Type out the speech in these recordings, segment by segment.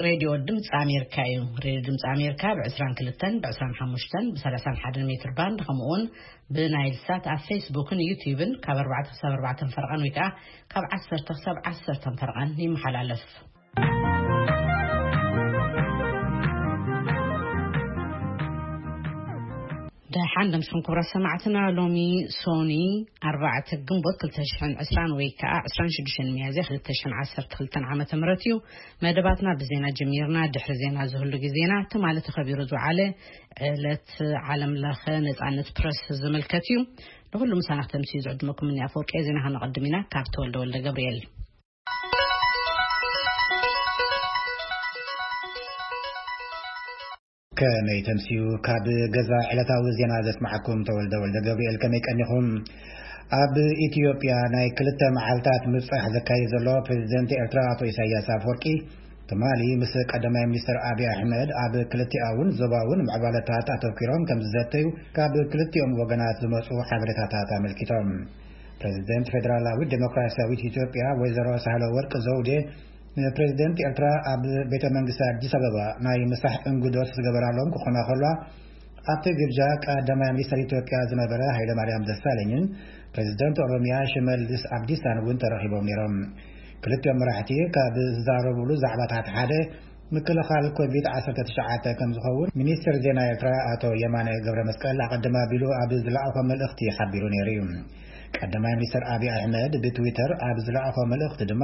ሬድዮ ድምፂ ኣሜሪካ እዩ። ሬድዮ ድምፂ ኣሜሪካ ብ22፣ ብ25፣ ብ31 ሜትር ባንድ፣ ከምኡውን ብናይል ሳት ኣብ ፌስቡክን ዩቲዩብን ካብ ኣርባዕተ ክሳብ ኣርባዕተ ፈርቓን ወይ ከዓ ካብ ዓሰርተ ክሳብ ዓሰርተ ፈርቓን ይመሓላለፍ። ደሓን ደምስኹም ክቡራት ሰማዕትና፣ ሎሚ ሶኒ ኣርባዕተ ግንቦት ክልተ ሽሕን ዕስራን ወይ ከዓ ዕስራን ሽዱሽተን ሚያዝያ ክልተ ሽሕን ዓሰርተ ክልተን ዓመተ ምህረት እዩ። መደባትና ብዜና ጀሚርና። ድሕሪ ዜና ዝህሉ ግዜና ትማሊ ተኸቢሩ ዝውዓለ ዕለት ዓለም ለኸ ነጻነት ፕረስ ዝምልከት እዩ። ንኹሉ ምሳና ክተምስዩ ዝዕድመኩም እኒ ኣፈወርቂ ዜና ከነቐድም ኢና ካብ ተወልደ ወልደ ገብርኤል። ከመይ ተምስዩ? ካብ ገዛ ዕለታዊ ዜና ዘስማዓኩም ተወልደ ወልደ ገብርኤል። ከመይ ቀኒኹም? ኣብ ኢትዮጵያ ናይ ክልተ መዓልታት ምብጻሕ ዘካይድ ዘሎ ፕሬዚደንት ኤርትራ ኣቶ ኢሳያስ ኣፈወርቂ ትማሊ ምስ ቀዳማይ ሚኒስትር ኣብይ ኣሕመድ ኣብ ክልቲኣውን ዞባውን ምዕባለታት ኣተኲሮም ከም ዝዘተዩ ካብ ክልቲኦም ወገናት ዝመጹ ሓበሬታታት ኣመልኪቶም። ፕሬዚደንት ፌደራላዊት ዴሞክራሲያዊት ኢትዮጵያ ወይዘሮ ሳህለ ወርቅ ዘውዴ ንፕሬዚደንት ኤርትራ ኣብ ቤተ መንግስቲ ኣዲስ ኣበባ ናይ ምሳሕ እንግዶት ዝገበራሎም ክኾና ከሏ፣ ኣብቲ ግብጃ ቀዳማይ ሚኒስትር ኢትዮጵያ ዝነበረ ሃይለማርያም ደሳለኝን ፕሬዚደንት ኦሮሚያ ሽመልስ ኣብዲሳን እውን ተረኺቦም ነይሮም። ክልቲኦም መራሕቲ ካብ ዝዛረቡሉ ዛዕባታት ሓደ ምክልኻል ኮቪድ ዓሰርተ ትሽዓተ ከም ዝኸውን ሚኒስትር ዜና ኤርትራ ኣቶ የማነ ገብረ መስቀል ኣቐድም ኣቢሉ ኣብ ዝለኣኾ መልእኽቲ ሓቢሩ ነይሩ እዩ። ቀዳማይ ሚኒስትር ኣብይ ኣሕመድ ብትዊተር ኣብ ዝለኣኾ መልእኽቲ ድማ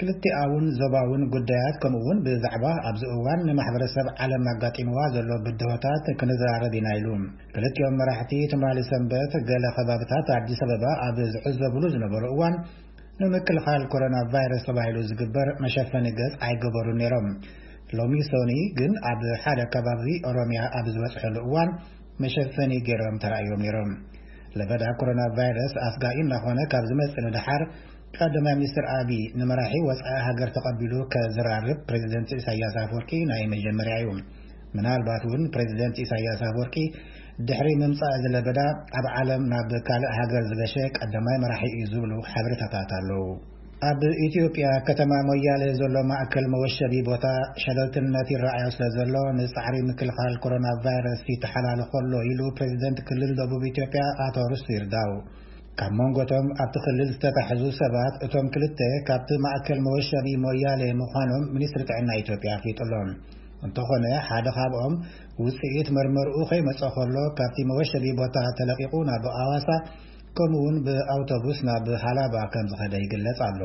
ክልቲኣውን ዞባውን ጉዳያት ከምኡ እውን ብዛዕባ ኣብዚ እዋን ንማሕበረሰብ ዓለም ኣጋጢምዋ ዘሎ ብድሆታት ክንዘራረብ ኢና ኢሉ። ክልቲኦም መራሕቲ ትማሊ ሰንበት ገለ ከባብታት ኣዲስ ኣበባ ኣብ ዝዕዘብሉ ዝነበሩ እዋን ንምክልኻል ኮሮና ቫይረስ ተባሂሉ ዝግበር መሸፈኒ ገጽ ኣይገበሩን ነይሮም። ሎሚ ሶኒ ግን ኣብ ሓደ ከባቢ ኦሮሚያ ኣብ ዝበጽሐሉ እዋን መሸፈኒ ገይሮም ተራእዮም ነይሮም። ለበዳ ኮሮና ቫይረስ ኣስጋኢ እናኾነ ካብ ዝመጽእ ንደሓር ቀዳማይ ሚኒስትር ኣብይ ንመራሒ ወጻኢ ሃገር ተቐቢሉ ከዘራርብ ፕሬዚደንት ኢሳያስ ኣፈወርቂ ናይ መጀመርያ እዩ። ምናልባት እውን ፕሬዚደንት ኢሳያስ ኣፈወርቂ ድሕሪ ምምጻእ እዚ ለበዳ ኣብ ዓለም ናብ ካልእ ሃገር ዝገሸ ቀዳማይ መራሒ እዩ ዝብሉ ሓበሬታታት ኣለዉ። ኣብ ኢትዮጵያ ከተማ ሞያሌ ዘሎ ማእከል መወሸቢ ቦታ ሸለልትነት ይረኣዮ ስለ ዘሎ ንጻዕሪ ምክልኻል ኮሮና ቫይረስ ይተሓላልኾ ኣሎ ኢሉ ፕሬዚደንት ክልል ደቡብ ኢትዮጵያ ኣቶ ርስቱ ይርዳው። ካብ መንጎቶም ኣብቲ ክልል ዝተታሕዙ ሰባት እቶም ክልተ ካብቲ ማእከል መወሸቢ ሞያሌ ምዃኖም ሚኒስትሪ ጥዕና ኢትዮጵያ ኣፍሊጡ ኣሎ። እንተኾነ ሓደ ካብኦም ውጽኢት መርመርኡ ከይመጸ ከሎ ካብቲ መወሸቢ ቦታ ተለቂቑ ናብ ኣዋሳ ከምኡ እውን ብኣውቶቡስ ናብ ሃላባ ከም ዝኸደ ይግለጽ ኣሎ።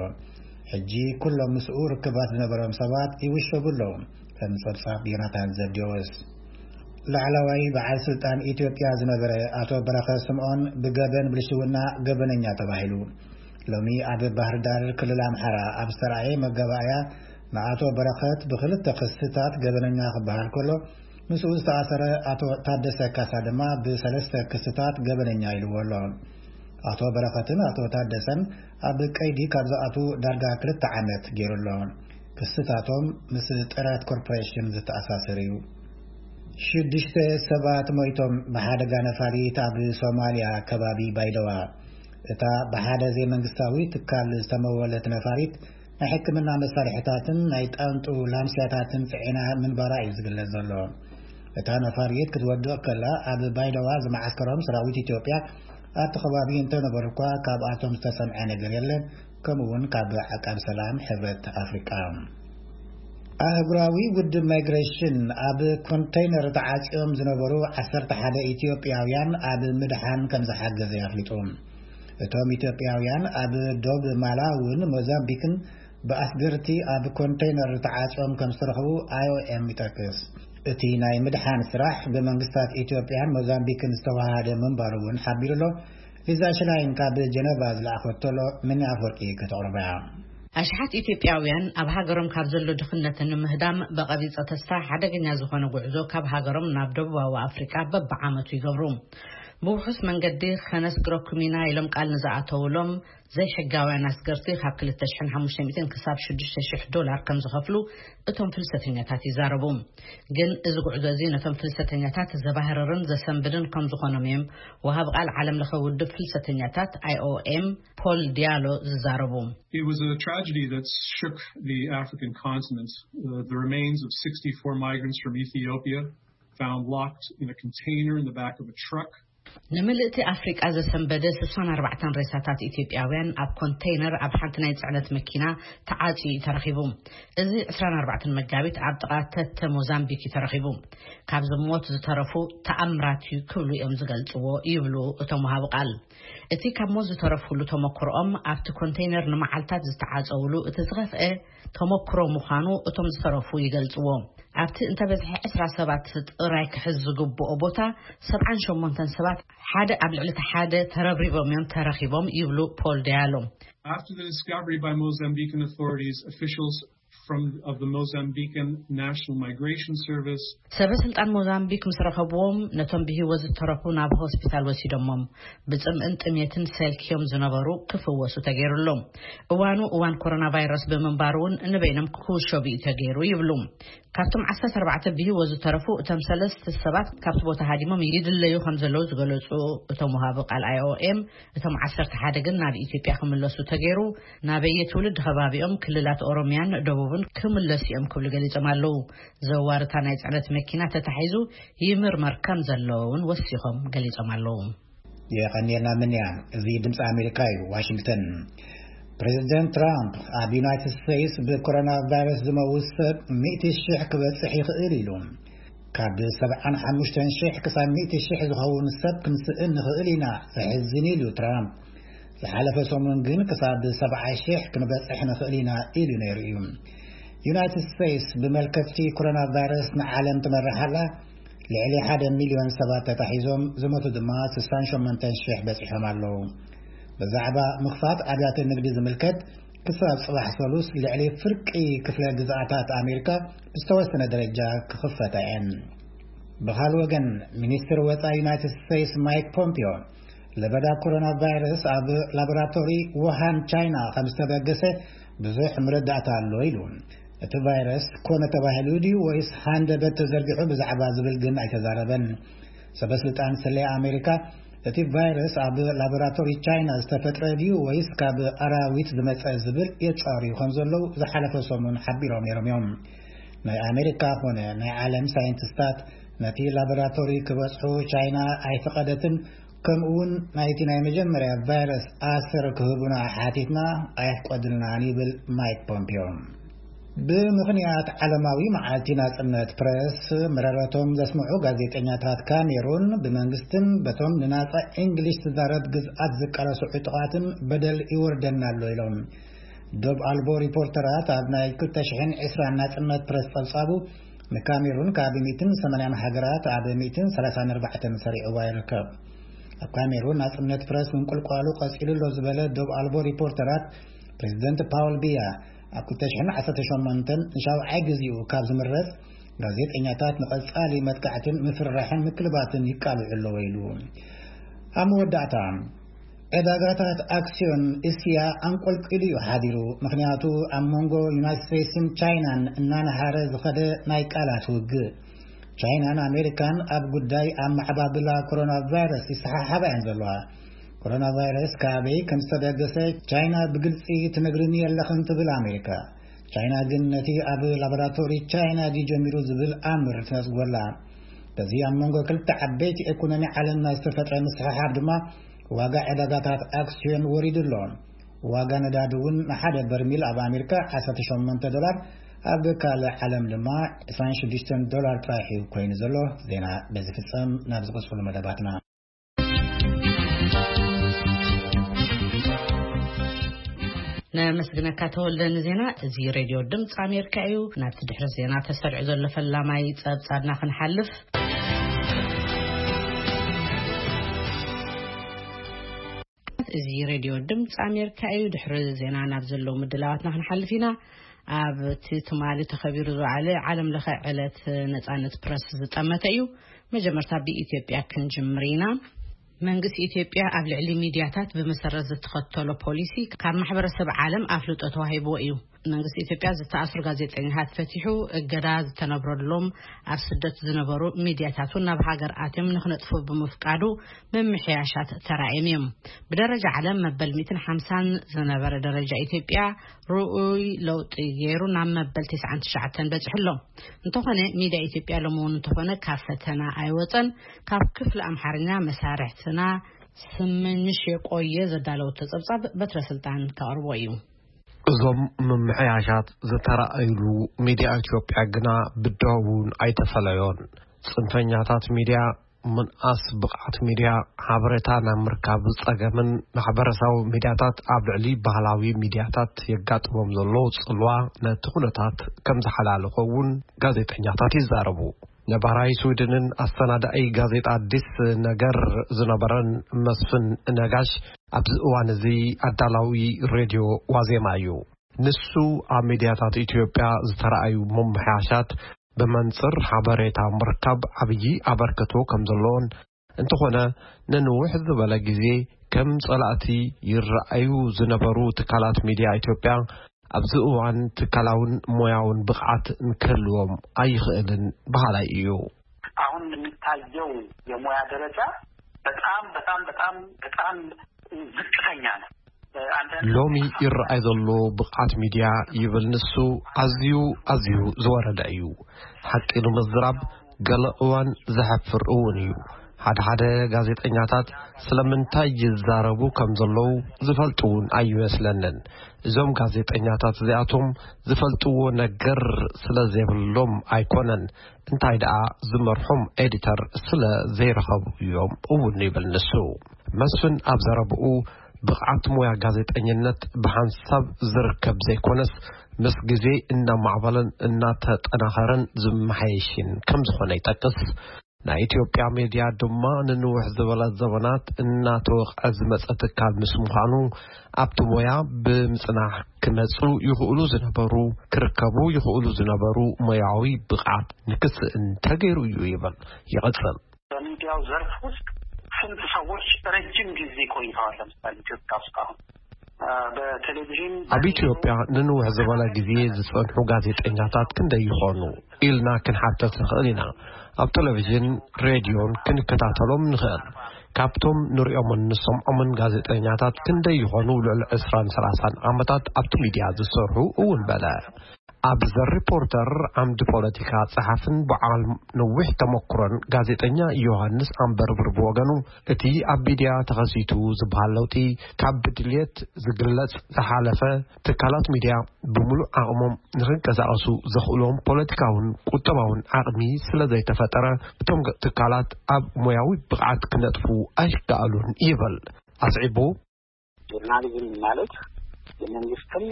ሕጂ ኩሎም ምስኡ ርክባት ዝነበሮም ሰባት ይውሸቡ ኣለዉ። ከም ጸብጻብ ዮናታን ዘብዴዎስ። ላዕለዋይ በዓል ስልጣን ኢትዮጵያ ዝነበረ ኣቶ በረኸት ስምዖን ብገበን ብልሽውና ገበነኛ ተባሂሉ። ሎሚ ኣብ ባህር ዳር ክልል ኣምሓራ ኣብ ዝተራእየ መጋባእያ ንኣቶ በረኸት ብክልተ ክስታት ገበነኛ ክበሃል ከሎ ምስኡ ዝተኣሰረ ኣቶ ታደሰ ካሳ ድማ ብሰለስተ ክስታት ገበነኛ ኢልዎ ኣሎ። ኣቶ በረኸትን ኣቶ ታደሰን ኣብ ቀይዲ ካብ ዝኣቱ ዳርጋ ክልተ ዓመት ገይሩ ኣሎ። ክስታቶም ምስ ጥራት ኮርፖሬሽን ዝተኣሳሰር እዩ። ሽዱሽተ ሰባት ሞይቶም ብሓደጋ ነፋሪት ኣብ ሶማልያ ከባቢ ባይደዋ። እታ ብሓደ ዘይመንግስታዊ ትካል ዝተመወለት ነፋሪት ናይ ሕክምና መሳርሕታትን ናይ ጣንጡ ላምስያታትን ጽዒና ምንባራ እዩ ዝግለጽ ዘሎ። እታ ነፋሪት ክትወድቕ ከላ ኣብ ባይደዋ ዝመዓስከሮም ሰራዊት ኢትዮጵያ ኣብቲ ከባቢ እንተነበሩ እኳ ካብኣቶም ዝተሰምዐ ነገር የለን። ከምኡ እውን ካብ ዓቃብ ሰላም ሕብረት ኣፍሪቃ። ኣህጉራዊ ውድብ ማይግሬሽን ኣብ ኮንተይነር ተዓጽዮም ዝነበሩ ዓሰርተ ሓደ ኢትዮጵያውያን ኣብ ምድሓን ከም ዝሓገዘ ኣፍሊጡ። እቶም ኢትዮጵያውያን ኣብ ዶብ ማላውን ሞዛምቢክን ብኣስገርቲ ኣብ ኮንተይነር ተዓጽዮም ከም ዝተረኽቡ ኣይ ኦ ኤም ይጠቅስ። እቲ ናይ ምድሓን ስራሕ ብመንግስታት ኢትዮጵያን ሞዛምቢክን ዝተዋሃደ ምንባሩ እውን ሓቢሩ ኣሎ። ሊዛ ሽላይን ካብ ጀነቫ ዝለኣኸቶ ኣሎ፣ ምን ኣፈወርቂ ከተቕርባ እያ። ኣሽሓት ኢትዮጵያውያን ኣብ ሃገሮም ካብ ዘሎ ድኽነትን ምህዳም ብቐቢጸ ተስፋ ሓደገኛ ዝኾነ ጉዕዞ ካብ ሃገሮም ናብ ደቡባዊ ኣፍሪቃ በብዓመቱ ይገብሩ። ብውሑስ መንገዲ ከነስግረኩም ኢና ኢሎም ቃል ንዝኣተውሎም ዘይሕጋውያን ኣስገርቲ ካብ ክልተ ሽሕን ሓሙሽተ ሚእትን ክሳብ ሽዱሽተ ሽሕ ዶላር ከም ዝኸፍሉ እቶም ፍልሰተኛታት ይዛረቡ። ግን እዚ ጉዕዞ እዚ ነቶም ፍልሰተኛታት ዘባህርርን ዘሰንብድን ከም ዝኾኖም እዮም ወሃብ ቃል ዓለም ለኸ ውድብ ፍልሰተኛታት I O M ፖል ዲያሎ ዝዛረቡ። It was a tragedy that shook the African continent. Uh, the remains of sixty-four migrants from Ethiopia found locked in a container in the back of a truck. ንምልእቲ ኣፍሪቃ ዘሰንበደ ስሳን ኣርባዕተን ሬሳታት ኢትዮጵያውያን ኣብ ኮንቴይነር ኣብ ሓንቲ ናይ ጽዕነት መኪና ተዓጽዩ እዩ ተረኺቡ። እዚ ዕስራን ኣርባዕተን መጋቢት ኣብ ጥቓ ተተ ሞዛምቢክ እዩ ተረኺቡ። ካብ ዝሞት ዝተረፉ ተኣምራት እዩ ክብሉ እዮም ዝገልጽዎ ይብሉ እቶም ወሃቢ ቃል። እቲ ካብ ሞት ዝተረፉሉ ተመክሮኦም ኣብቲ ኮንቴይነር ንመዓልታት ዝተዓጸውሉ እቲ ዝኸፍአ ተመክሮ ምዃኑ እቶም ዝተረፉ ይገልጽዎ። ኣብቲ እንተበዝሐ ዕስራ ሰባት ጥራይ ክሕዝ ዝግብኦ ቦታ ሰብዓን ሸሞንተን ሰባት ሓደ ኣብ ልዕሊ እቲ ሓደ ተረብሪቦም እዮም ተረኺቦም ይብሉ ፖል ዲያሎ። After the discovery by Mozambican authorities, officials from of the Mozambican National Migration Service. ሰበ ስልጣን ሞዛምቢክ ምስ ረኸብዎም ነቶም ብህይወት ዝተረፉ ናብ ሆስፒታል ወሲዶሞም። ብጽምእን ጥሜትን ሰልክዮም ዝነበሩ ክፍወሱ ተገይሩሎም። እዋኑ እዋን ኮሮና ቫይረስ ብምንባሩ እውን ንበይኖም ክውሸቡ እዩ ተገይሩ ይብሉ። ካብቶም ዓሰርተ ኣርባዕተ ብህይወት ዝተረፉ እቶም ሰለስተ ሰባት ካብቲ ቦታ ሃዲሞም ይድለዩ ከም ዘለዉ ዝገለጹ እቶም ወሃቢ ቃል I O M፣ እቶም ዓሰርተ ሓደ ግን ናብ ኢትዮጵያ ክምለሱ ተገይሩ። ናበየ ትውልድ ከባቢኦም ክልላት ኦሮሚያን ደቡብን ክምለሱ እዮም ክብሉ ገሊጾም ኣለዉ። ዘዋርታ ናይ ጽዕነት መኪና ተታሒዙ ይምርመር ከም ዘለውን ወሲኾም ገሊጾም ኣለዉ። የቐንየልና ምንያ። እዚ ድምፂ ኣሜሪካ እዩ፣ ዋሽንግተን። ፕሬዚደንት ትራምፕ ኣብ ዩናይትድ ስቴትስ ብኮሮና ቫይረስ ዝመውት ሰብ ሚእቲ ሽሕ ክበፅሕ ይኽእል ኢሉ። ካብ ሰብዓን ሓሙሽተን ሽሕ ክሳብ ሚእቲ ሽሕ ዝኸውን ሰብ ክንስእን ንኽእል ኢና፣ ዘሕዝን ኢሉ ትራምፕ። ዝሓለፈ ሰሙን ግን ክሳብ ሰብዓ ሽሕ ክንበፅሕ ንኽእል ኢና ኢሉ ነይሩ እዩ። ዩናይትድ ስቴትስ ብመልከፍቲ ኮሮና ቫይረስ ንዓለም ትመርሕ ኣላ። ልዕሊ ሓደ ሚልዮን ሰባት ተታሒዞም፣ ዝሞቱ ድማ ስሳን ሸሞንተን ሽሕ በፂሖም ኣለዉ። ብዛዕባ ምኽፋት ኣብያተ ንግዲ ዝምልከት፣ ክሳብ ጽባሕ ሰሉስ ልዕሊ ፍርቂ ክፍለ ግዝኣታት ኣሜሪካ ብዝተወሰነ ደረጃ ክኽፈታ እየን። ብኻል ወገን፣ ሚኒስትር ወጻኢ ዩናይትድ ስቴትስ ማይክ ፖምፒዮ፣ ለበዳ ኮሮና ቫይረስ ኣብ ላቦራቶሪ ውሃን ቻይና ከም ዝተበገሰ ብዙሕ መረዳእታ ኣሎ ኢሉ። እቲ ቫይረስ ኮነ ተባሂሉ ድዩ ወይስ ሃንደበት ተዘርጊሑ ብዛዕባ ዝብል ግን ኣይተዛረበን። ሰበስልጣን ስለያ ኣሜሪካ፣ እቲ ቫይረስ ኣብ ላቦራቶሪ ቻይና ዝተፈጥረ ድዩ ወይስ ካብ ኣራዊት ዝመጸ ዝብል የጻርዩ ከም ዘለዉ ዝሓለፈ ሰሙን ሓቢሮም ነይሮም እዮም። ናይ ኣሜሪካ ኮነ ናይ ዓለም ሳይንቲስታት ነቲ ላቦራቶሪ ክበጽሑ ቻይና ኣይፈቐደትን፣ ከምኡ እውን ናይቲ ናይ መጀመርያ ቫይረስ ኣሰር ክህቡና ሓቲትና ኣየፍቀዱልናን ይብል ማይክ ፖምፒዮ። ብምኽንያት ዓለማዊ መዓልቲ ናጽነት ፕረስ መረረቶም ዘስምዑ ጋዜጠኛታት ካሜሩን፣ ብመንግስትን በቶም ንናጻ እንግሊሽ ትዛረብ ግዝኣት ዝቃለሱ ዕጡቓትን በደል ይወርደና ኣሎ ኢሎም። ዶብ ኣልቦ ሪፖርተራት ኣብ ናይ ክልተ ሽሕን ዕስራን ናጽነት ፕረስ ጸብጻቡ፣ ንካሜሩን ካብ ሚእትን ሰማንያን ሃገራት ኣብ ሚእትን ሰላሳን ኣርባዕተን ሰሪዕዋ ይርከብ። ኣብ ካሜሩን ናጽነት ፕረስ ምንቁልቋሉ ቀጺሉ ኣሎ ዝበለ ዶብ ኣልቦ ሪፖርተራት፣ ፕሬዚደንት ፓውል ቢያ ኣብ ክልተ ሽሕን ዓሰርተ ሸሞንተን ንሻውዓይ ግዜኡ ካብ ዝምረጽ፣ ጋዜጠኛታት ንቐጻሊ መጥቃዕትን ምፍርራሕን ምክልባትን ይቃልዑ ኣለዉ ኢሉ። ኣብ መወዳእታ፣ ዕዳጋታት ኣክስዮን እስያ ኣንቆልቂሉ እዩ ሓዲሩ። ምኽንያቱ፣ ኣብ መንጎ ዩናይትድ ስቴትስን ቻይናን እናነሃረ ዝኸደ ናይ ቃላት ውግእ። ቻይናን ኣሜሪካን ኣብ ጉዳይ ኣመዓባብላ ኮሮና ቫይረስ ይሰሓሓባ እየን ዘለዋ። ኮሮና ቫይረስ ካበይ ከም ዝተበገሰ ቻይና ብግልጺ ትነግርኒ የለኽን ትብል ኣሜሪካ። ቻይና ግን ነቲ ኣብ ላቦራቶሪ ቻይና ድዩ ጀሚሩ ዝብል ኣምር ትነጽጎላ። በዚ ኣብ መንጎ ክልተ ዓበይቲ ኢኮኖሚ ዓለምና ዝተፈጥረ ምስሕሓብ ድማ ዋጋ ዕዳጋታት ኣክስዮን ወሪዱ ኣሎ። ዋጋ ነዳዲ እውን ንሓደ በርሚል ኣብ ኣሜሪካ ዓሰርተ ሸሞንተ ዶላር፣ ኣብ ካልእ ዓለም ድማ ዕስራን ሽዱሽተን ዶላር ጥራሕ እዩ ኮይኑ ዘሎ። ዜና በዚ ፍጸም። ናብ ዝቕጽሉ መደባትና። ነመስግነካ ተወልደ ንዜና። እዚ ሬድዮ ድምፂ ኣሜሪካ እዩ። ናብቲ ድሕሪ ዜና ተሰሪዑ ዘሎ ፈላማይ ጸብጻብና ክንሓልፍ። እዚ ሬድዮ ድምፂ ኣሜሪካ እዩ። ድሕሪ ዜና ናብ ዘለዉ ምድላዋትና ክንሓልፍ ኢና። ኣብ እቲ ትማሊ ተኸቢሩ ዝውዓለ ዓለም ለኸ ዕለት ነጻነት ፕረስ ዝጠመተ እዩ። መጀመርታ ብኢትዮጵያ ክንጅምር ኢና። መንግስቲ ኢትዮጵያ ኣብ ልዕሊ ሚድያታት ብመሰረት ዝተኸተሎ ፖሊሲ ካብ ማሕበረሰብ ዓለም ኣፍልጦ ተዋሂብዎ እዩ። መንግስቲ ኢትዮጵያ ዝተኣስሩ ጋዜጠኛታት ፈቲሑ፣ እገዳ ዝተነብረሎም ኣብ ስደት ዝነበሩ ሚድያታት እውን ናብ ሃገር ኣትዮም ንክነጥፉ ብምፍቃዱ ምምሕያሻት ተራእዮም እዮም። ብደረጃ ዓለም መበል ሚእትን ሓምሳን ዝነበረ ደረጃ ኢትዮጵያ ርኡይ ለውጢ ገይሩ ናብ መበል ተስዓን ትሽዓተን በፂሑ ኣሎ። እንተኾነ ሚድያ ኢትዮጵያ ሎሚ እውን እንተኾነ ካብ ፈተና ኣይወፀን። ካብ ክፍሊ ኣምሓርኛ መሳርሕትና ስምንሽ የቆየ ዘዳለወቶ ጸብጻብ በትረ ስልጣን ከቕርቦ እዩ። እዞም ምምሕያሻት ዝተራእዩሉ ሚድያ ኢትዮጵያ ግና ብድሆ እውን ኣይተፈለዮን። ጽንፈኛታት ሚድያ፣ ምንኣስ ብቕዓት ሚድያ፣ ሓበሬታ ናብ ምርካብ ጸገምን ማሕበረሰባዊ ሚድያታት ኣብ ልዕሊ ባህላዊ ሚድያታት የጋጥሞም ዘሎ ጽልዋ ነቲ ኩነታት ከም ዝሓላለኾ እውን ጋዜጠኛታት ይዛረቡ። ነባራይ ስዊድንን ኣሰናዳኢ ጋዜጣ ኣዲስ ነገር ዝነበረን መስፍን ነጋሽ ኣብዚ እዋን እዚ ኣዳላዊ ሬድዮ ዋዜማ እዩ። ንሱ ኣብ ሚድያታት ኢትዮጵያ ዝተራእዩ ምምሕያሻት ብመንጽር ሓበሬታ ምርካብ ዓብዪ ኣበርክቶ ከም ዘለዎን፣ እንተኾነ ነንውሕ ዝበለ ግዜ ከም ጸላእቲ ይረኣዩ ዝነበሩ ትካላት ሚድያ ኢትዮጵያ ኣብዚ እዋን ትካላውን ሞያውን ብቕዓት ንክህልዎም ኣይኽእልን በሃላይ እዩ። አሁን የሚታየው የሙያ ደረጃ በጣም በጣም በጣም በጣም ዝቅተኛ ነው። ሎሚ ይረኣይ ዘሎ ብቕዓት ሚድያ ይብል ንሱ፣ ኣዝዩ ኣዝዩ ዝወረደ እዩ። ሓቂ ንምዝራብ ገለ እዋን ዘሕፍር እውን እዩ። ሓደ ሓደ ጋዜጠኛታት ስለምንታይ ይዛረቡ ከም ዘለዉ ዝፈልጡ እውን ኣይመስለንን። እዞም ጋዜጠኛታት እዚኣቶም ዝፈልጥዎ ነገር ስለ ዘይብሎም ኣይኮነን፣ እንታይ ደኣ ዝመርሖም ኤዲተር ስለ ዘይረኸቡ እዮም እውን ይብል ንሱ። መስፍን ኣብ ዘረብኡ ብቕዓት ሞያ ጋዜጠኝነት ብሓንሳብ ዝርከብ ዘይኮነስ ምስ ግዜ እናማዕበለን እናተጠናኸረን ዝመሓየሽን ከም ዝኾነ ይጠቅስ። ናይ ኢትዮጵያ ሜድያ ድማ ንንውሕ ዝበለ ዘበናት እናተወቕዐ ዝመጸ ትካል ምስ ምዃኑ ኣብቲ ሞያ ብምጽናሕ ክመጹ ይኽእሉ ዝነበሩ ክርከቡ ይኽእሉ ዝነበሩ ሞያዊ ብቕዓት ንክስእን ተገይሩ እዩ ይብል። ይቕጽል። በሚዲያው ዘርፍ ውስጥ ስንት ሰዎች ረጅም ጊዜ ቆይተዋል? ለምሳሌ ኢትዮጵያ ውስጥ አሁን በቴሌቪዥን ኣብ ኢትዮጵያ ንንውሕ ዝበለ ግዜ ዝጸንሑ ጋዜጠኛታት ክንደይ ይኾኑ ኢልና ክንሓተት ንኽእል ኢና። ኣብ ቴሌቪዥን ሬድዮን ክንከታተሎም ንኽእል። ካብቶም ንሪኦምን ንሰምዖምን ጋዜጠኛታት ክንደይ ይኾኑ ልዕሊ ዕስራን ሰላሳን ዓመታት ኣብቲ ሚድያ ዝሰርሑ እውን በለ። ኣብ ዘ ሪፖርተር ዓምዲ ፖለቲካ ጸሓፍን በዓል ነዊሕ ተመክሮን ጋዜጠኛ ዮሃንስ ኣንበርብር ብወገኑ እቲ ኣብ ሚድያ ተኸሲቱ ዝበሃል ለውጢ ካብ ብድልየት ዝግለጽ ዝሓለፈ ትካላት ሚድያ ብምሉእ ዓቕሞም ንኽንቀሳቐሱ ዘኽእሎም ፖለቲካውን ቁጠባውን ዓቕሚ ስለ ዘይተፈጠረ እቶም ትካላት ኣብ ሞያዊ ብቕዓት ክነጥፉ ኣይከኣሉን ይብል ኣስዒቡ። ጆርናሊዝም ማለት የመንግስትን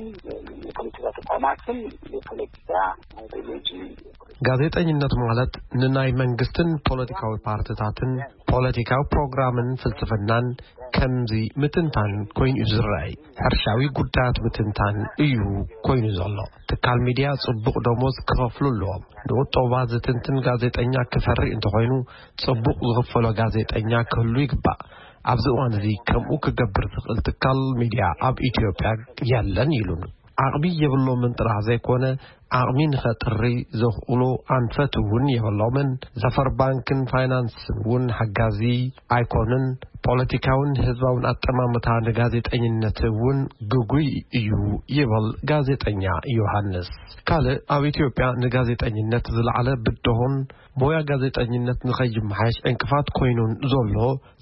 የፖለቲካ ተቋማትን የፖለቲካ አይዲዮሎጂ ጋዜጠኝነት ማለት ንናይ መንግስትን ፖለቲካዊ ፓርቲታትን ፖለቲካዊ ፕሮግራምን ፍልስፍናን ከምዚ ምትንታን ኮይኑ እዩ ዝረኣይ። ሕርሻዊ ጉዳያት ምትንታን እዩ ኮይኑ ዘሎ። ትካል ሚድያ ጽቡቕ ደሞዝ ክኸፍሉ ኣለዎም። ንቁጠባ ዝትንትን ጋዜጠኛ ክፈሪ እንተኾይኑ ጽቡቕ ዝኽፈሎ ጋዜጠኛ ክህሉ ይግባእ። ኣብዚ እዋን እዚ ከምኡ ክገብር ዝኽእል ትካል ሚድያ ኣብ ኢትዮጵያ የለን ኢሉን። ዓቕሚ የብሎምን ጥራሕ ዘይኮነ ዓቕሚ ንኸጥሪ ዘኽእሎ ኣንፈት እውን የብሎምን። ዘፈር ባንክን ፋይናንስን እውን ሓጋዚ ኣይኮኑን። ፖለቲካውን ህዝባውን ኣጠማምታ ንጋዜጠኝነት እውን ግጉይ እዩ ይብል ጋዜጠኛ ዮሃንስ። ካልእ ኣብ ኢትዮጵያ ንጋዜጠኝነት ዝለዓለ ብድሆን ሞያ ጋዜጠኝነት ንኸይመሓየሽ ዕንቅፋት ኮይኑን ዘሎ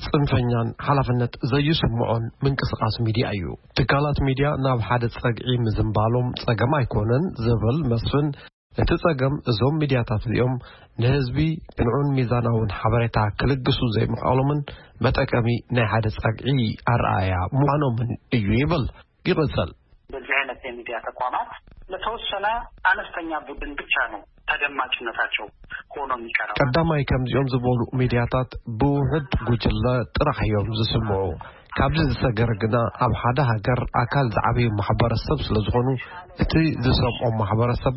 ጽንፈኛን ሓላፍነት ዘይስምዖን ምንቅስቃስ ሚድያ እዩ። ትካላት ሚድያ ናብ ሓደ ጸግዒ ምዝንባሎም ጸገም ኣይኮነን ዝብል መስፍን፣ እቲ ጸገም እዞም ሚድያታት እዚኦም ንህዝቢ ቅንዑን ሚዛናውን ሓበሬታ ክልግሱ ዘይምኽኣሎምን መጠቀሚ ናይ ሓደ ጸግዒ ኣረኣእያ ምዃኖምን እዩ ይብል። ይቕጽል። በዚህ አይነት የሚዲያ ተቋማት ለተወሰነ አነስተኛ ቡድን ብቻ ነው ተደማጭነታቸው ሆኖ የሚቀረው። ቀዳማይ ከምዚኦም ዝበሉ ሚድያታት ብውሑድ ጉጅለ ጥራሕ እዮም ዝስምዑ። ካብዚ ዝሰገረ ግና ኣብ ሓደ ሃገር ኣካል ዝዓበዩ ማሕበረሰብ ስለ ዝኾኑ እቲ ዝሰምዖም ማሕበረሰብ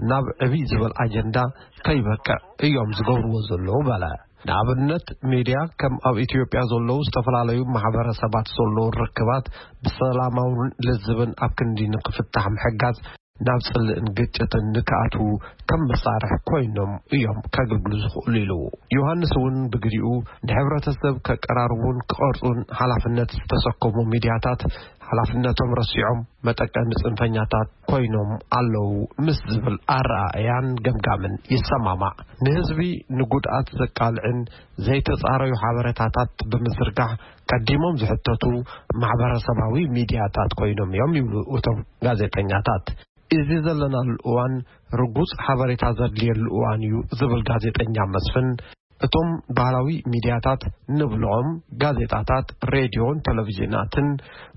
ናብ ዕብይ ዝበል ኣጀንዳ ከይበቅዕ እዮም ዝገብርዎ ዘለዉ በለ። ንኣብነት፣ ሚድያ ከም ኣብ ኢትዮጵያ ዘለዉ ዝተፈላለዩ ማሕበረሰባት ዘለዉ ርክባት ብሰላማውን ልዝብን ኣብ ክንዲ ንክፍታሕ ምሕጋዝ፣ ናብ ጽልእን ግጭትን ንክኣትዉ ከም መሳርሒ ኮይኖም እዮም ከገልግሉ ዝኽእሉ ኢሉ። ዮሃንስ እውን ብግዲኡ፣ ንሕብረተሰብ ከቀራርቡን ክቐርጹን ሓላፍነት ዝተሰከሙ ሚድያታት ሓላፍነቶም ረሲዖም መጠቀሚ ጽንፈኛታት ኮይኖም ኣለዉ ምስ ዝብል ኣረኣእያን ገምጋምን ይሰማማዕ። ንህዝቢ ንጉድኣት ዘቃልዕን ዘይተጻረዩ ሓበሬታታት ብምዝርጋሕ ቀዲሞም ዝሕተቱ ማሕበረሰባዊ ሚድያታት ኮይኖም እዮም ይብሉ እቶም ጋዜጠኛታት። እዚ ዘለናሉ እዋን ርጉጽ ሓበሬታ ዘድልየሉ እዋን እዩ ዝብል ጋዜጠኛ መስፍን፣ እቶም ባህላዊ ሚድያታት ንብልዖም ጋዜጣታት፣ ሬድዮን ቴሌቪዥናትን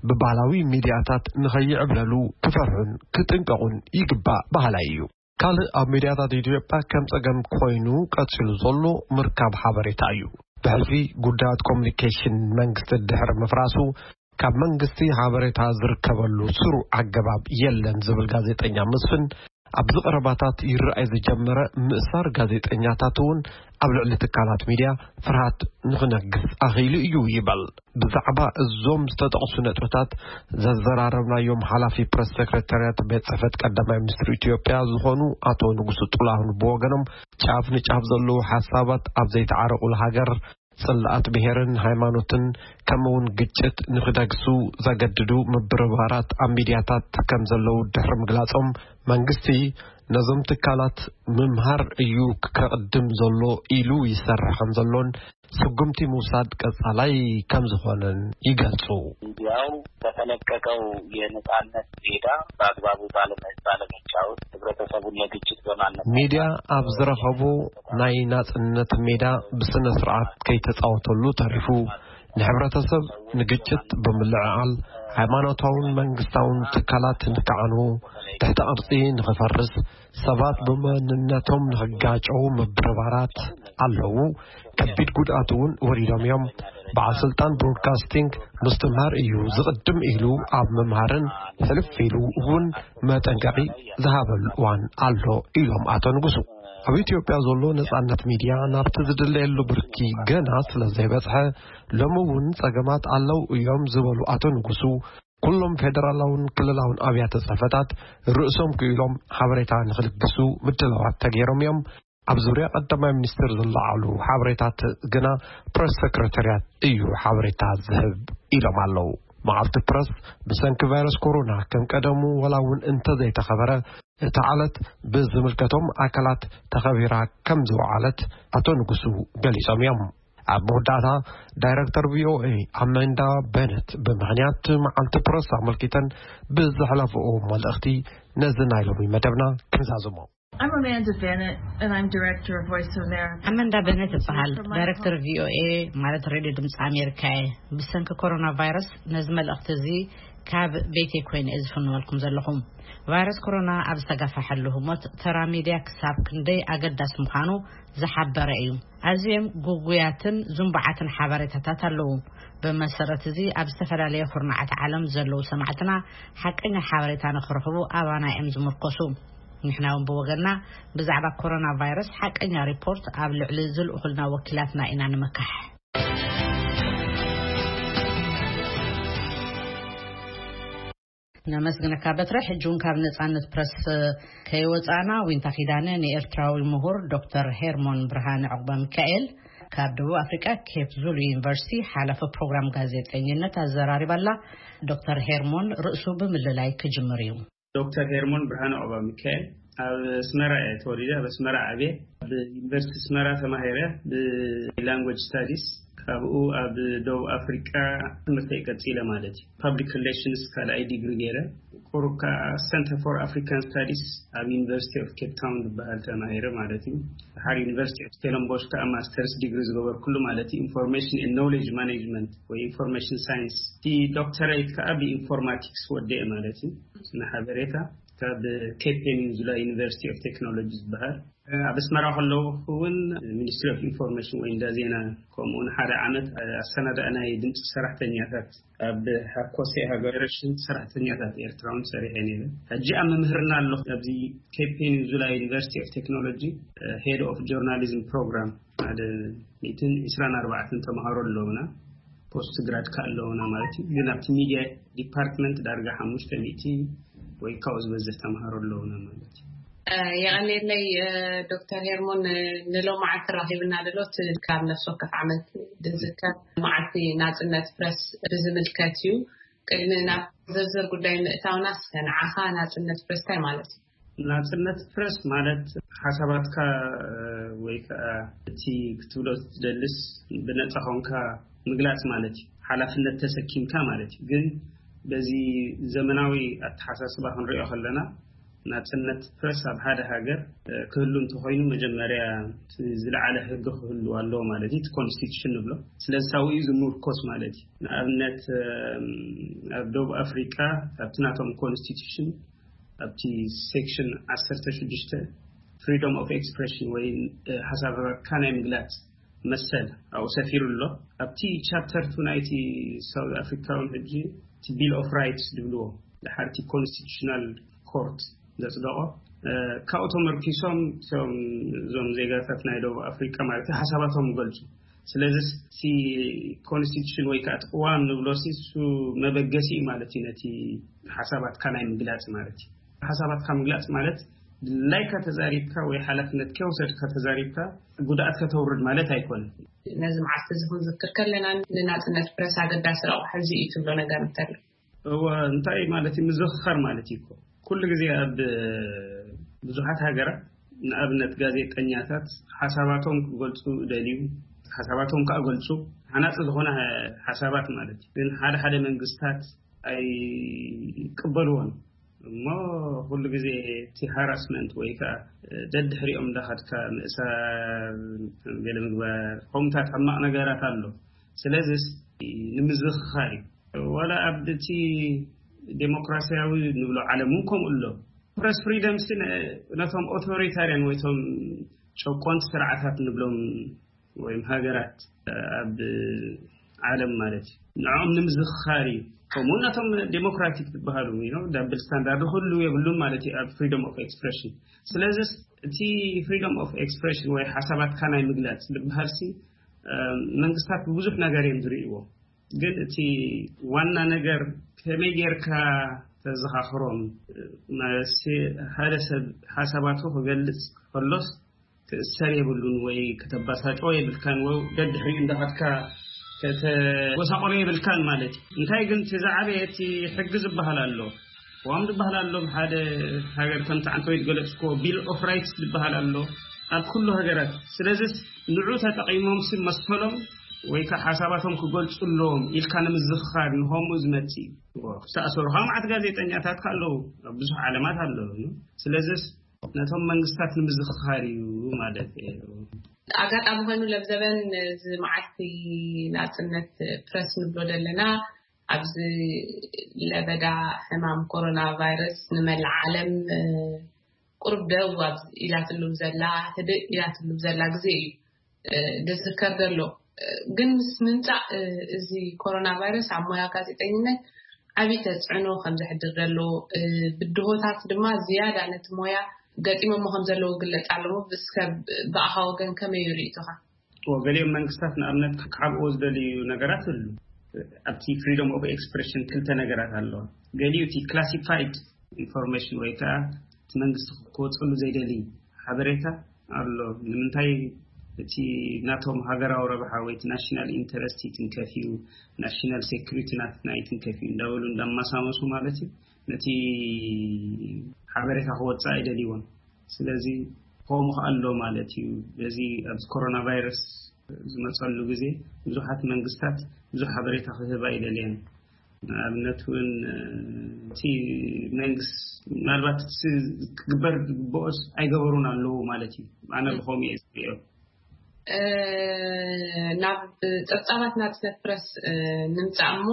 ብባህላዊ ሚድያታት ንኸይዕብለሉ ክፈርሑን ክጥንቀቑን ይግባእ በሃላይ እዩ። ካልእ ኣብ ሚድያታት ኢትዮጵያ ከም ጸገም ኮይኑ ቀጺሉ ዘሎ ምርካብ ሓበሬታ እዩ። ብሕልፊ ጉዳያት ኮሙኒኬሽን መንግስቲ ድሕሪ ምፍራሱ ካብ መንግስቲ ሓበሬታ ዝርከበሉ ስሩዕ ኣገባብ የለን ዝብል ጋዜጠኛ መስፍን፣ ኣብዚ ቀረባታት ይረኣይ ዝጀመረ ምእሳር ጋዜጠኛታት እውን ኣብ ልዕሊ ትካላት ሚድያ ፍርሃት ንኽነግስ ኣኽኢሉ እዩ ይበል። ብዛዕባ እዞም ዝተጠቕሱ ነጥብታት ዘዘራረብናዮም ሓላፊ ፕረስ ሴክሬታርያት ቤት ጽሕፈት ቀዳማይ ሚኒስትር ኢትዮጵያ ዝኾኑ ኣቶ ንጉሱ ጥላሁን ብወገኖም፣ ጫፍ ንጫፍ ዘለዉ ሓሳባት ኣብ ዘይተዓረቑሉ ሃገር፣ ጽልኣት ብሄርን ሃይማኖትን ከምኡውን ግጭት ንኽደግሱ ዘገድዱ ምብርባራት ኣብ ሚድያታት ከም ዘለዉ ድሕሪ ምግላጾም፣ መንግስቲ ነዞም ትካላት ምምሃር እዩ ከቕድም ዘሎ ኢሉ ይሰርሕ ከም ዘሎን ስጉምቲ ምውሳድ ቀጻላይ ከም ዝኾነን ይገልጹ። ሚዲያው በተለቀቀው የነጻነት ሜዳ በአግባቡ ባለመ- ባለመጫወት ህብረተሰቡን ለግጭት በማነሳሳት ሚድያ ኣብ ዝረኸቦ ናይ ናጽነት ሜዳ ብስነ ስርዓት ከይተጻወተሉ ተሪፉ፣ ንሕብረተሰብ ንግጭት ብምልዕዓል፣ ሃይማኖታውን መንግስታውን ትካላት ንክዓንዉ፣ ትሕተ ቅርጺ ንኽፈርስ፣ ሰባት ብመንነቶም ንኽጋጨዉ ምብርባራት ኣለዉ። ከቢድ ጉድኣት እውን ወሪዶም እዮም። በዓል ስልጣን ብሮድካስቲንግ ምስትምሃር እዩ ዝቕድም ኢሉ ኣብ ምምሃርን ሕልፍ ኢሉ እውን መጠንቀቒ ዝሃበሉ እዋን ኣሎ ኢሎም ኣቶ ንጉሱ። ኣብ ኢትዮጵያ ዘሎ ነጻነት ሚድያ ናብቲ ዝድለየሉ ብርኪ ገና ስለ ዘይበጽሐ፣ ሎሚ እውን ጸገማት ኣለዉ እዮም ዝበሉ ኣቶ ንጉሱ፣ ኩሎም ፌደራላውን ክልላውን ኣብያተ ጽሕፈታት ርእሶም ክኢሎም ሓበሬታ ንኽልግሱ ምድላዋት ተገይሮም እዮም። ኣብ ዙርያ ቀዳማይ ሚኒስትር ዝለዓሉ ሓበሬታት ግና ፕረስ ሰክረታርያት እዩ ሓበሬታ ዝህብ ኢሎም ኣለዉ። መዓልቲ ፕረስ ብሰንኪ ቫይረስ ኮሮና ከም ቀደሙ ወላ እውን እንተዘይተኸበረ፣ እታ ዕለት ብዝምልከቶም ኣካላት ተኸቢራ ከም ዝወዓለት ኣቶ ንጉሱ ገሊጾም እዮም። ኣብ መወዳእታ ዳይረክተር ቪኦኤ ኣመንዳ በነት ብምኽንያት መዓልቲ ፕረስ ኣመልኪተን ብዘሕለፍኦ መልእኽቲ ነዚ ናይ ሎሚ መደብና ክንዛዝሞ። I'm Amanda Bennett, and I'm director of Voice of America. ኣመንዳ በነት እበሃል። ዳይረክተር ቪኦኤ ማለት ሬድዮ ድምፂ ኣሜሪካ እየ። ብሰንኪ ኮሮና ቫይረስ ነዚ መልእኽቲ እዚ ካብ ቤተይ ኮይነ እየ ዝፍንወልኩም ዘለኹም። ቫይረስ ኮሮና ኣብ ዝተጋፈሐሉ ህሞት ተራ ሚድያ ክሳብ ክንደይ ኣገዳሲ ምዃኑ ዝሓበረ እዩ። ኣዝዮም ግጉያትን ዝንቡዓትን ሓበሬታታት ኣለዉ። ብመሰረት እዚ ኣብ ዝተፈላለየ ኩርናዓት ዓለም ዘለዉ ሰማዕትና ሓቀኛ ሓበሬታ ንኽረኽቡ ኣባና እዮም ዝምርኮሱ። ንሕና እውን ብወገንና ብዛዕባ ኮሮና ቫይረስ ሓቀኛ ሪፖርት ኣብ ልዕሊ ዝልእኹልና ወኪላትና ኢና ንምካሕ። ነመስግነካ በትረ። ሕጂ እውን ካብ ነጻነት ፕረስ ከይወጻእና፣ ዊንታ ኪዳነ ንኤርትራዊ ምሁር ዶክተር ሄርሞን ብርሃነ ዕቑባ ሚካኤል ካብ ደቡብ ኣፍሪቃ ኬፕ ዙሉ ዩኒቨርሲቲ ሓላፊ ፕሮግራም ጋዜጠኝነት ኣዘራሪባላ። ዶክተር ሄርሞን ርእሱ ብምልላይ ክጅምር እዩ። ዶክተር ሄርሞን ብርሃነ ኦባ ሚካኤል ኣብ ኣስመራ እየ ተወሊደ። ኣብ ኣስመራ ዓብየ። ኣብ ዩኒቨርሲቲ ኣስመራ ተማሂረ ብላንጉጅ ስታዲስ። ካብኡ ኣብ ደቡብ ኣፍሪቃ ትምህርተይ ቀጺለ ማለት እዩ። ፐብሊክ ሪሌሽንስ ካልኣይ ዲግሪ ገይረ። ቁሩብ ከዓ ሰንተር ፎር ኣፍሪካን ስታዲስ ኣብ ዩኒቨርሲቲ ኦፍ ኬፕ ታውን ዝበሃል ተማሂረ ማለት እዩ። ድሓር ዩኒቨርሲቲ ኦፍ ስተለንቦሽ ከዓ ማስተርስ ዲግሪ ዝገበርኩሉ ማለት እዩ። ኢንፎርሜሽን ኤንድ ኖሌጅ ማኔጅመንት ወይ ኢንፎርሜሽን ሳይንስ። እቲ ዶክተሬት ከዓ ብኢንፎርማቲክስ ወደየ ማለት እዩ። ስነ ሓበሬታ ካብ ኬፕ ፔኒንሱላ ዩኒቨርሲቲ ኦፍ ቴክኖሎጂ ዝበሃል። ኣብ ኣስመራ ከለኹ እውን ሚኒስትሪ ኦፍ ኢንፎርሜሽን ወይ እንዳ ዜና፣ ከምኡውን ሓደ ዓመት ኣሰናዳእናይ ድምፂ ሰራሕተኛታት ኣብ ሓኮሴ ሃገረሽን ሰራሕተኛታት ኤርትራውን ሰሪሐ ነይረ። ሕጂ ኣብ ምምህርና ኣለኹ። ኣብዚ ኬፕ ፔኒንሱላ ዩኒቨርሲቲ ኦፍ ቴክኖሎጂ ሄድ ኦፍ ጆርናሊዝም ፕሮግራም ሓደ ሚእትን ዕስራን ኣርባዕተን ተምሃሮ ኣለውና። ፖስት ግራድ ከ ኣለውና ማለት እዩ። ግን ኣብቲ ሚዲያ ዲፓርትመንት ዳርጋ ሓሙሽተ ሚእቲ ወይ ካብኡ ዝበዝሕ ተምሃሮ ኣለውና ማለት እዩ። የቐኔለይ ዶክተር ሄርሞን፣ ንሎማዓንቲ ራኺብና ደሎት ካብ ነፍሲ ወከፍ ዓመት ድዝከር መዓልቲ ናጽነት ፕረስ ብዝምልከት እዩ። ቅድሚ ናብ ዝርዝር ጉዳይ ምእታውና፣ እስከ ንዓኻ ናጽነት ፕረስ እንታይ ማለት እዩ? ናጽነት ፕረስ ማለት ሓሳባትካ ወይ ከዓ እቲ ክትብሎ ትደልስ ብነጻ ኾንካ ምግላጽ ማለት እዩ። ሓላፍነት ተሰኪምካ ማለት እዩ። ግን በዚ ዘመናዊ ኣተሓሳስባ ክንሪኦ ከለና፣ ናጽነት ፕረስ ኣብ ሓደ ሃገር ክህሉ እንተኾይኑ፣ መጀመርያ ዝለዓለ ሕጊ ክህሉ ኣለዎ ማለት እዩ። እቲ ኮንስቲቱሽን ንብሎ ስለዚ ሳውኡ ዝምርኮስ ማለት እዩ። ንኣብነት ኣብ ደቡብ ኣፍሪቃ ኣብቲ ናቶም ኮንስቲቱሽን ኣብቲ ሴክሽን ዓሰርተ ሽዱሽተ ፍሪደም ኦፍ ኤክስፕሬሽን ወይ ሓሳባትካ ናይ ምግላጽ መሰል ኣብኡ ሰፊሩ ኣሎ። ኣብቲ ቻፕተር ቱ ናይቲ ሳውት ኣፍሪካውን ሕጂ እቲ ቢል ኦፍ ራይትስ ዝብልዎ ድሓርቲ ኮንስቲቱሽናል ኮርት ዘጽደቆ፣ ካብኡ ተመርኪሶም እቶም እዞም ዜጋታት ናይ ደቡብ ኣፍሪካ ማለት ሓሳባቶም ይገልጹ። ስለዚ እቲ ኮንስቲቱሽን ወይ ከዓ እቲ ቅዋም ንብሎ እሱ መበገሲ እዩ ማለት እዩ። ነቲ ሓሳባትካ ናይ ምግላጽ ማለት እዩ። ሓሳባትካ ምግላጽ ማለት ድላይካ ተዛሪብካ ወይ ሓላፍነት ከይወሰድካ ተዛሪብካ ጉድኣት ከተውርድ ማለት ኣይኮነን። ነዚ መዓልቲ እዚ ክንዝክር ከለና፣ ንናጽነት ፕረስ ኣገዳሲ ረቑሒ እዚ እዩ ትብሎ ነገር እንተሎ? እወ፣ እንታይ ማለት እዩ? ምዝኽኻር ማለት እዩ እኮ። ኩሉ ግዜ ኣብ ብዙሓት ሃገራት፣ ንኣብነት፣ ጋዜጠኛታት ሓሳባቶም ክገልጹ ደልዩ፣ ሓሳባቶም ከዓ ገልጹ፣ ሓናጺ ዝኾነ ሓሳባት ማለት እዩ። ግን ሓደ ሓደ መንግስታት ኣይቅበልዎን። እሞ ኩሉ ግዜ እቲ ሃራስመንት ወይ ከዓ ደድሕሪኦም እንዳኸድካ ምእሳር፣ ገለ ምግባር፣ ከምታት ሕማቕ ነገራት ኣሎ። ስለዚስ ንምዝኽኻር እዩ። ዋላ ኣብ እቲ ዴሞክራሲያዊ ንብሎ ዓለም እውን ከምኡ ኣሎ። ፕረስ ፍሪደም ሲ ነቶም ኦቶሪታርያን ወይ ቶም ጨቆንቲ ስርዓታት ንብሎም ወይም ሃገራት ኣብ ዓለም ማለት እዩ፣ ንዕኦም ንምዝኽኻር እዩ። ከምኡ ነቶም ዴሞክራቲክ ዝበሃሉ፣ you know፣ ዳብል ስታንዳርድ ኩሉ የብሉን ማለት እዩ ኣብ ፍሪደም ኦፍ ኤክስፕሬሽን። ስለዚስ እቲ ፍሪደም ኦፍ ኤክስፕሬሽን ወይ ሓሳባትካ ናይ ምግላጽ ዝበሃል ሲ መንግስታት ብብዙሕ ነገር እዮም ዝርእይዎ። ግን እቲ ዋና ነገር ከመይ ጌርካ ተዘኻኽሮም፣ ማለት ሓደ ሰብ ሓሳባቱ ክገልጽ ከሎስ ክእሰር የብሉን ወይ ከተባሳጮ የብልካን ወይ ደድሕሪኡ እንዳኸድካ ከተጎሳቆሎ የብልካን ማለት እዩ። እንታይ ግን እቲ ዝዓበየ እቲ ሕጊ ዝበሃል ኣሎ፣ ዋም ዝበሃል ኣሎ፣ ሓደ ሃገር ከምቲ ዓንተ ወይ ዝገለጽኮ ቢል ኦፍ ራይትስ ዝበሃል ኣሎ ኣብ ኩሉ ሃገራት። ስለዚስ ንዑ ተጠቂሞም ሲ መሰሎም ወይ ከዓ ሓሳባቶም ክገልጹ ኣለዎም ኢልካ ንምዝኽኻር ንኸምኡ ዝመጽእ እዩ። ክተኣሰሩ ከዓ መዓት ጋዜጠኛታት ከ ኣለዉ ኣብ ብዙሕ ዓለማት ኣለዉ። ስለዚስ ነቶም መንግስታት ንምዝኽኻር እዩ ማለት እዩ። ኣጋጣሚ ኮይኑ ለብዘበን እዚ መዓልቲ ናጽነት ፕረስ ንብሎ ዘለና ኣብዚ ለበዳ ሕማም ኮሮና ቫይረስ ንመላእ ዓለም ቁሩብ ደው ኢላትሉ ዘላ፣ ህድእ ኢላትሉ ዘላ ግዜ እዩ ዝዝከር ዘሎ። ግን ምስ ምምፃእ እዚ ኮሮና ቫይረስ ኣብ ሞያ ጋዜጠኝነት ዓብዪ ተፅዕኖ ከም ዘሕድር ዘሎ፣ ብድሆታት ድማ ዝያዳ ነቲ ሞያ ገጢሞሞ ከም ዘለዉ ግለፅ ኣለዎ። እስከ ብኣኻ ወገን ከመይ ይርእቶኻ? ገሊኦም መንግስታት ንኣብነት ክሓብኦ ዝደልዩ ነገራት ኣሉ። ኣብቲ ፍሪደም ኦፍ ኤክስፕሬሽን ክልተ ነገራት ኣለዋ። ገሊኡ እቲ ክላሲፋይድ ኢንፎርሜሽን ወይ ከዓ እቲ መንግስቲ ክወፀሉ ዘይደሊ ሓበሬታ ኣሎ። ንምንታይ? እቲ ናቶም ሃገራዊ ረብሓ ወይ እቲ ናሽናል ኢንተረስት ይትንከፍ እዩ፣ ናሽናል ሴኩሪቲ ናትና ይትንከፍ እዩ እንዳበሉ እንዳማሳመሱ ማለት እዩ፣ ነቲ ሓበሬታ ክወፅእ ኣይደልይዎን። ስለዚ ከምኡ ከኣ ኣሎ ማለት እዩ። በዚ ኣብዚ ኮሮና ቫይረስ ዝመፀሉ ግዜ ብዙሓት መንግስታት ብዙሕ ሓበሬታ ክህባ ኣይደልየን። ንኣብነት እውን እቲ መንግስት ምናልባት ክግበር ዝግብኦስ ኣይገበሩን ኣለዉ ማለት እዩ። ኣነ ብኸምኡ እየ ዝሪኦ። ናብ ፀብፃባት ናፅነት ፕረስ ንምፃእ እሞ፣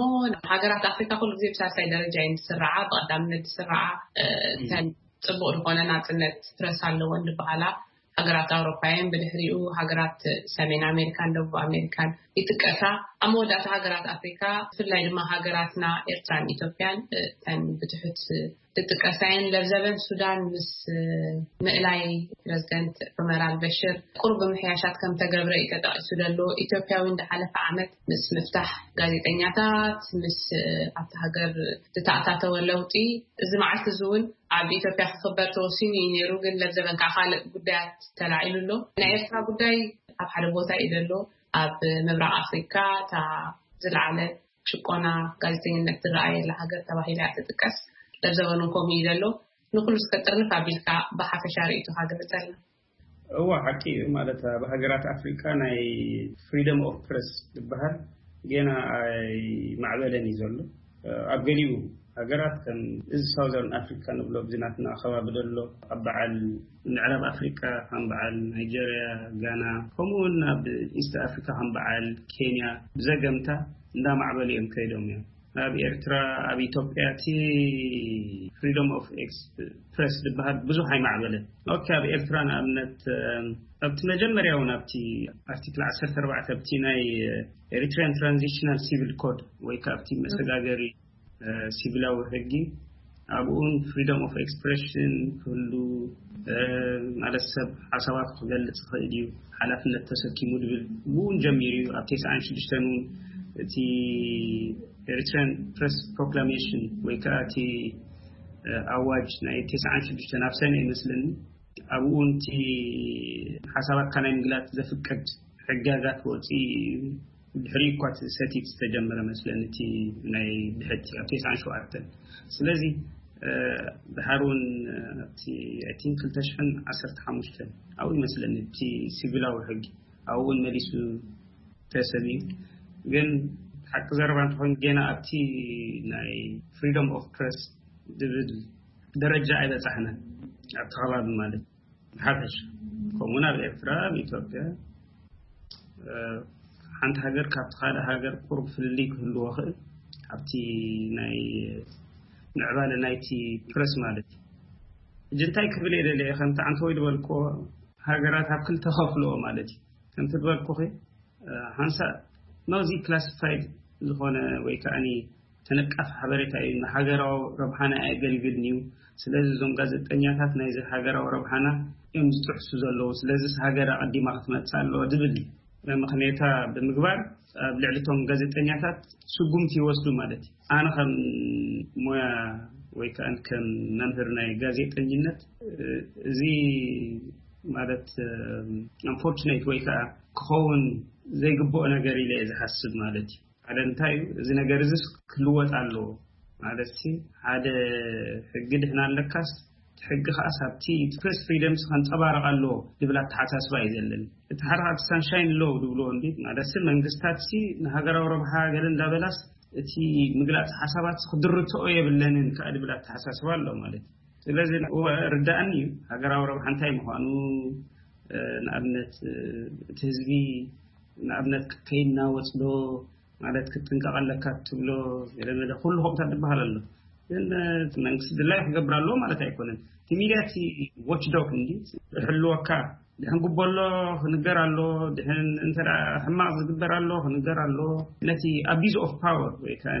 ሃገራት ኣፍሪካ ኩሉ ግዜ ብሳልሳይ ደረጃ እየን ዝስራዓ፣ ብቀዳምነት ዝስራዓ እተን ፅቡቅ ዝኾነ ናፅነት ፕረስ ኣለወን ዝበሃላ። ሃገራት ኣውሮፓ እየን። ብድሕሪኡ ሃገራት ሰሜን ኣሜሪካን ደቡብ ኣሜሪካን ይጥቀሳ። ኣብ መወዳእታ ሃገራት ኣፍሪካ፣ ብፍላይ ድማ ሃገራትና ኤርትራን ኢትዮጵያን፣ እ፣ እተን ብትሑት ዝጥቀሳ እየን። ለብዘበን ሱዳን ምስ፣ እ፣ ምእላይ ፕረዚደንት ዑመር ኣልበሽር ቁሩብ ምሕያሻት ከም ተገብረ እዩ ተጠቒሱ ዘሎ። ኢትዮጵያ እውን ዝሓለፈ ዓመት ምስ ምፍታሕ ጋዜጠኛታት፣ ምስ፣ እ፣ ኣብቲ ሃገር ዝተኣታተወ ለውጢ፣ እዚ መዓልቲ እዚ እውን ኣብ ኢትዮጵያ ክኽበር ተወሲኑ እዩ ነይሩ። ግን ለብዘበን ከዓ ካልእ ጉዳያት ተላዒሉ ኣሎ። ናይ ኤርትራ ጉዳይ ኣብ ሓደ ቦታ እዩ ዘሎ። ኣብ ምብራቕ ኣፍሪካ እታ ዝለዓለ ጭቆና ጋዜጠኝነት ዝረኣየላ ሃገር ተባሂላ እያ ትጥቀስ። ለብዘበን እውን ከምኡ እዩ ዘሎ። ንኩሉ እስከ ጥርንፍ ኣቢልካ ብሓፈሻ ርእይቶኻ ግለፀልና። እዋ፣ ሓቂ እዩ። ማለት፣ ኣብ ሃገራት ኣፍሪቃ ናይ ፍሪደም ኦፍ ፕረስ ዝበሃል ጌና ኣይማዕበለን እዩ ዘሎ። ኣብ ገሊኡ ሃገራት፣ ከም እዚ ሳውዘርን ኣፍሪካ ንብሎ፣ ኣብዚ ናትና ከባቢ ዘሎ፣ ኣብ በዓል ምዕራብ ኣፍሪቃ፣ ከም በዓል ናይጀርያ፣ ጋና፣ ከምኡ እውን ኣብ ኢስት ኣፍሪካ፣ ከም በዓል ኬንያ፣ ብዘገምታ እንዳማዕበሉ እዮም ከይዶም እዮም። ኣብ ኤርትራ፣ ኣብ ኢትዮጵያ፣ እቲ ፍሪደም ኦፍ ኤክስ ፕረስ ዝበሃል ብዙሕ ኣይማዕበለን። ኦኬ፣ ኣብ ኤርትራ ንኣብነት፣ ኣብቲ መጀመርያ እውን ኣብቲ ኣርቲክል ዓሰርተ ኣርባዕተ፣ ኣብቲ ናይ ኤሪትሪያን ትራንዚሽናል ሲቪል ኮድ ወይ ከዓ ኣብቲ መሰጋገሪ፣ እ፣ ሲቪላዊ ሕጊ፣ ኣብኡን ፍሪደም ኦፍ ኤክስፕሬሽን ክህሉ፣ እ፣ ማለት ሰብ ሓሳባቱ ክገልጽ ይኽእል እዩ፣ ሓላፍነት ተሰኪሙ ዝብል ብኡን ጀሚሩ እዩ። ኣብ ተስዓን ሽዱሽተን እውን እቲ ኤሪትሪያን ፕረስ ፕሮክላሜሽን ወይ ከዓ እቲ፣ እ፣ ኣዋጅ ናይ ተስዓን ሽዱሽተን ኣብ ሰነ ይመስለኒ፣ ኣብኡ እውን እቲ ሓሳባትካ ናይ ምግላጽ ዘፍቅድ ሕግጋት ክወጽእ እዩ። ድሕሪ እኳ እቲ ሰቲት ዝተጀመረ መስለኒ፣ እቲ ናይ ድሕቲ ኣብ ተስዓን ሸውዓተን። ስለዚ፣ እ፣ ድሓር እውን፣ እ፣ ኣብቲ፣ ኣይ ቲንክ፣ ክልተ ሽሕን ዓሰርተ ሓሙሽተን ኣብኡ ይመስለኒ፣ እቲ ሲቪላዊ ሕጊ ኣብኡ እውን መሊሱ ተሰብ እዩ። ግን ሓቂ ዘረባ እንተኾይኑ፣ ጌና ኣብቲ ናይ ፍሪደም ኦፍ ፕረስ ዝብል ደረጃ ኣይበጻሕናን፣ ኣብቲ ከባቢ ማለት። ብሓፈሻ፣ ከምኡውን ኣብ ኤርትራ፣ ኣብ ኢትዮጵያ፣ እ፣ ሓንቲ ሃገር ካብቲ ካልእ ሃገር ቁሩብ ፍልልይ ክህልዎ ይኽእል፣ ኣብቲ ናይ ምዕባለ ናይቲ ፕረስ ማለት እዩ። ሕጂ እንታይ ክብል እየ ደልየ፣ ከምቲ ዓንተወይ ዝበልክዎ፣ ሃገራት ኣብ ክልተ ከፍልዎ ማለት እዩ። ከምቲ ዝበልኩኺ፣ እ፣ ሓንሳእ ናውዚ ክላሲፋይድ ዝኾነ ወይ ከዓኒ ተነቃፊ ሓበሬታ እዩ፣ ንሃገራዊ ረብሓና ኣየገልግልን እዩ። ስለዚ እዞም ጋዜጠኛታት ናይዚ ሃገራዊ ረብሓና እዮም ዝጥሕሱ ዘለዉ። ስለዚስ ሃገር ኣቐዲማ ክትመጽእ ኣለዎ ዝብል ምኽንያታ ብምግባር ኣብ ልዕሊ እቶም ጋዜጠኛታት ስጉምቲ ይወስዱ ማለት እዩ። ኣነ ከም ሞያ ወይ ከኣ ከም መምህር ናይ ጋዜጠኝነት፣ እ፣ እዚ ማለት፣ እ፣ ኣንፎርቹኔት ወይ ከኣ ክኸውን ዘይግብኦ ነገር ኢለ እየ ዝሓስብ ማለት እዩ። ሓደ እንታይ እዩ፣ እዚ ነገር እዚስ ክልወጥ ኣለዎ ማለት ሲ፣ ሓደ ሕጊ ድሕና ኣለካስ፣ እቲ ሕጊ ከኣ ሳብቲ ፕሬስ ፍሪደምስ ከንጸባረቕ ኣለዎ ዝብል ኣተሓሳስባ እዩ ዘለኒ። እቲ ሓደ ካብቲ ሳንሻይን ሎው ዝብልዎ እንዲ ማለት ሲ፣ መንግስታት ሲ ንሃገራዊ ረብሓ ገለ እንዳበላስ፣ እቲ ምግላጽ ሓሳባት ክድርትኦ የብለንን ከኣ ዝብል ኣተሓሳስባ ኣሎ ማለት እዩ። ስለዚ እወ፣ ርዳእኒ እዩ ሃገራዊ ረብሓ እንታይ ምዃኑ፣ እ፣ ንኣብነት፣ እ፣ እቲ ህዝቢ ንኣብነት ከይናወጽ ዶ ማለት ክትጥንቀቕ ኣለካ ትብሎ፣ ገለ መለ ኩሉ ከምታት ዝበሃል ኣሎ። ግን፣ እ፣ እቲ መንግስቲ ድላይ ክገብር ኣለዎ ማለት ኣይኮነን። እቲ ሚድያ እቲ ዎችዶግ እንዲ ክሕልወካ፣ ድሕን ጉቦ ኣሎ ክንገር ኣሎ፣ ድሕን እንተ ደኣ ሕማቕ ዝግበር ኣሎ ክንገር ኣሎ። ነቲ ኣቢዝ ኦፍ ፓወር ወይ ከኣ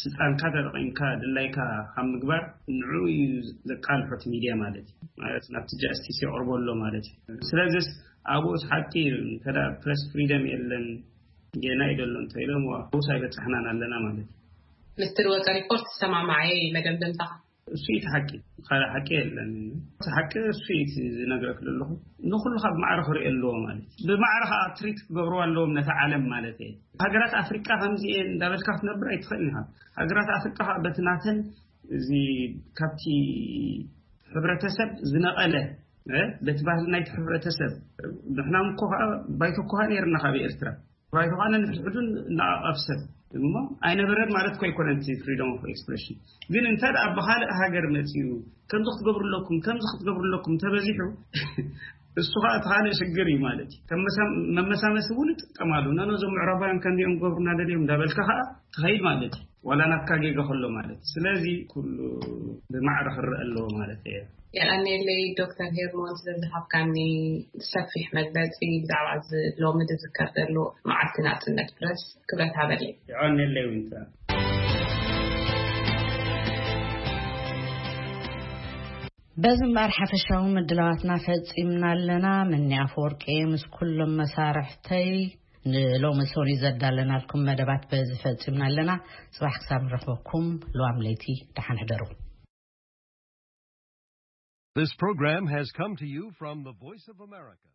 ስልጣንካ ተጠቒምካ ድላይካ ካብ ምግባር ንዕኡ እዩ ዘቃልሖ እቲ ሚድያ ማለት እዩ። ማለት ናብቲ ጃስቲስ የቕርቦ ኣሎ ማለት እዩ። ስለዚስ ኣብኡስ ሓቂ እዩ፣ እንተ ደኣ ፕረስ ፍሪደም የለን፣ ጌና እዩ ዘሎ እንተ ኢሎም፣ ኣብኡስ ኣይበጻሕናን ኣለና ማለት እዩ። ምስቲ ዝወጸ ሪፖርት ዝሰማማዐ መደምደምታኻ? እሱ እዩ እቲ ሓቂ፣ ካልእ ሓቂ የለን። እቲ ሓቂ እሱ እዩ እቲ ዝነግረክ ዘለኹ። ንኹሉ ካብ ማዕረ ክርኢ ኣለዎ ማለት እዩ። ብማዕረ ከዓ ትሪት ክገብርዎ ኣለዎም ነቲ ዓለም ማለት እየ። ሃገራት ኣፍሪቃ ከምዚ እየን እንዳበልካ ክትነብር ኣይትኽእልን ኢኻ። ሃገራት ኣፍሪቃ ከዓ በቲ ናተን እዚ ካብቲ ሕብረተሰብ ዝነቐለ፣ እ፣ በቲ ባህሊ ናይቲ ሕብረተሰብ፣ ንሕና እኮ ከዓ ባይቶ እኮ ከዓ ነይርና ካብ ኤርትራ። ባይቶ ከዓ ነንሕድሕዱ ነዓቐብ ሰብ እሞ ኣይነበረን ማለት እኮ ኣይኮነን እቲ ፍሪደም ኦፍ ኤክስፕሬሽን። ግን እንተ ደኣ ብኻልእ ሃገር መፂኡ ከምዚ ክትገብሩ ኣለኩም፣ ከምዚ ክትገብሩ ኣለኩም ተበዚሑ፣ እሱ ከዓ እቲ ካልእ ሽግር እዩ ማለት እዩ። ከም መሳ- መመሳመሲ እውን ይጥቀማሉ። ነኖ እዞም ምዕራባውያን ከምዚኦም ገብሩና ደልዮም እንዳበልካ ከዓ ትኸይድ ማለት እዩ። ዋላ ናትካ ጌጋ ከሎ ማለት እዩ። ስለዚ ኩሉ ብማዕረ ክረአ ኣለዎ ማለት እዩ። የቐኔለይ ዶክተር ሄርሞን ስለዝሃብካኒ ሰፊሕ መግለፂ ብዛዕባ እዚ ሎሚ ዝዝከር ዘሎ መዓልቲ ናፅነት ፕረስ ክብረት ሃበለይ። የቐኔለይ ዊንታ። በዚ እምበኣር ሓፈሻዊ ምድላዋትና ፈጺምና ኣለና። ምኒ ኣፈወርቂ ምስ ኩሎም መሳርሕተይ ንሎሚ ሰኑይ ዘዳለናልኩም መደባት በዚ ፈጺምና ኣለና። ጽባሕ ክሳብ ንረኽበኩም ልዋም ለይቲ ደሓን ሕደሩ። This program has come to you from the Voice of America.